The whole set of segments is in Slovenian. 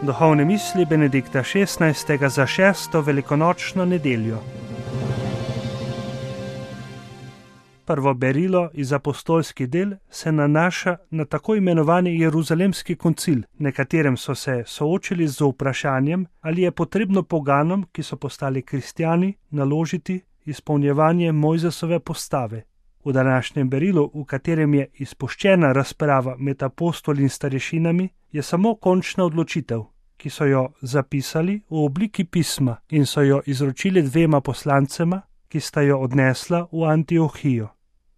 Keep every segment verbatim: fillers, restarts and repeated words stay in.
Duhovne misli Benedikta šestnajstega za šesto velikonočno nedeljo. Prvo berilo iz apostolskih del se nanaša na tako imenovani Jeruzalemski koncil, na katerem so se soočili z vprašanjem, ali je potrebno poganom, ki so postali kristjani, naložiti izpolnjevanje Mojzesove postave. V današnjem berilu, v katerem je izpuščena razprava med apostoli in starešinami, je samo končna odločitev, ki so jo zapisali v obliki pisma in so jo izročili dvema poslancema, ki sta jo odnesla v Antiohijo.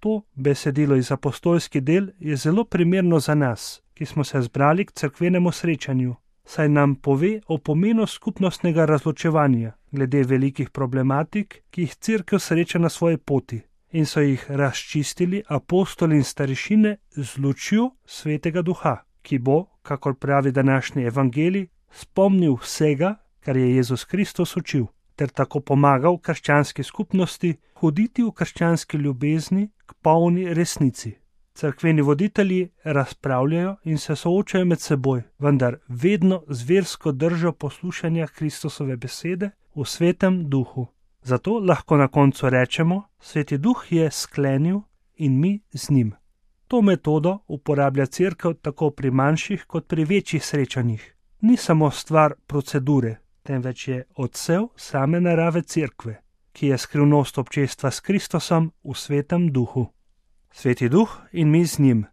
To besedilo iz apostolskih del je zelo primerno za nas, ki smo se zbrali k cerkvenemu srečanju, saj nam pove o pomenu skupnostnega razločevanja glede velikih problematik, ki jih cerkev sreča na svoji poti, in so jih razčistili apostoli in starešine z lučjo Svetega Duha, ki bo, kakor pravi današnji evangelij, spomnil vsega, kar je Jezus Kristus učil, ter tako pomagal krščanski skupnosti hoditi v krščanski ljubezni k polni resnici. Cerkveni voditelji razpravljajo in se soočajo med seboj, vendar vedno z versko držo poslušanja Kristusove besede v Svetem Duhu. Zato lahko na koncu rečemo, Sveti Duh je sklenil in mi z njim. To metodo uporablja cerkev tako pri manjših kot pri večjih srečanjih. Ni samo stvar procedure, temveč je odsev same narave cerkve, ki je skrivnost občestva s Kristusom v Svetem Duhu. Sveti Duh in mi z njim.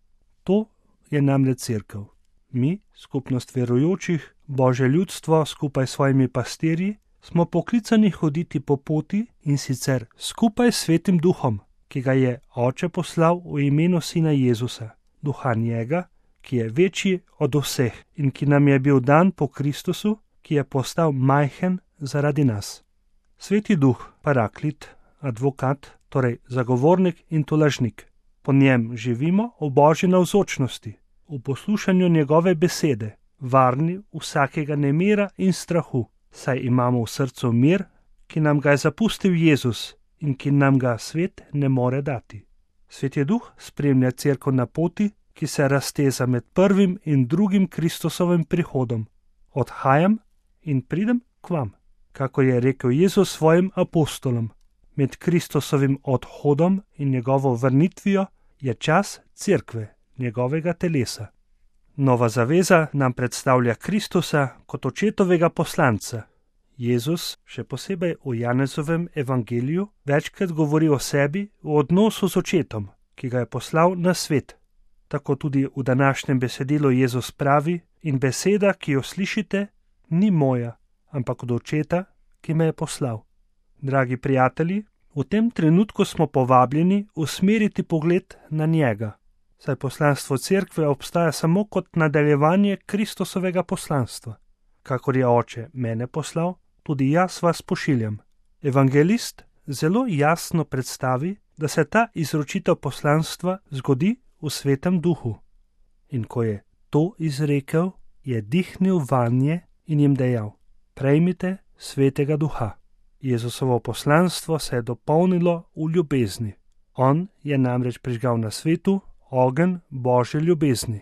To je namreč cerkev. Mi, skupnost verujočih, Božje ljudstvo skupaj s svojimi pastirji, smo poklicani hoditi po poti in sicer skupaj s Svetim Duhom, ki ga je Oče poslal v imenu Sina Jezusa, Duha njega, ki je večji od vseh in ki nam je bil dan po Kristusu, ki je postal majhen zaradi nas. Sveti Duh, paraklit, advokat, torej zagovornik in tolažnik. Po njem živimo v Božji navzočnosti, v poslušanju njegove besede, varni vsakega nemira in strahu, saj imamo v srcu mir, ki nam ga je zapustil Jezus in ki nam ga svet ne more dati. Sveti Duh spremlja cerkev na poti, ki se razteza med prvim in drugim Kristusovim prihodom. Odhajam in pridem k vam, kako je rekel Jezus svojim apostolom. Med Kristusovim odhodom in njegovo vrnitvijo je čas cerkve, njegovega telesa. Nova zaveza nam predstavlja Kristusa kot očetovega poslanca. Jezus, še posebej v Janezovem evangeliju, večkrat govori o sebi v odnosu z očetom, ki ga je poslal na svet. Tako tudi v današnjem besedilu Jezus pravi: in beseda, ki jo slišite, ni moja, ampak od očeta, ki me je poslal. Dragi prijatelji, v tem trenutku smo povabljeni usmeriti pogled na njega, saj poslanstvo cerkve obstaja samo kot nadaljevanje Kristusovega poslanstva. Kakor je Oče mene poslal, tudi jaz vas pošiljam. Evangelist zelo jasno predstavi, da se ta izročitev poslanstva zgodi v Svetem Duhu. In ko je to izrekel, je dihnil vanje in jim dejal: prejmite Svetega Duha. Jezusovo poslanstvo se je dopolnilo v ljubezni. On je namreč prižgal na svetu ogenj Božje ljubezni.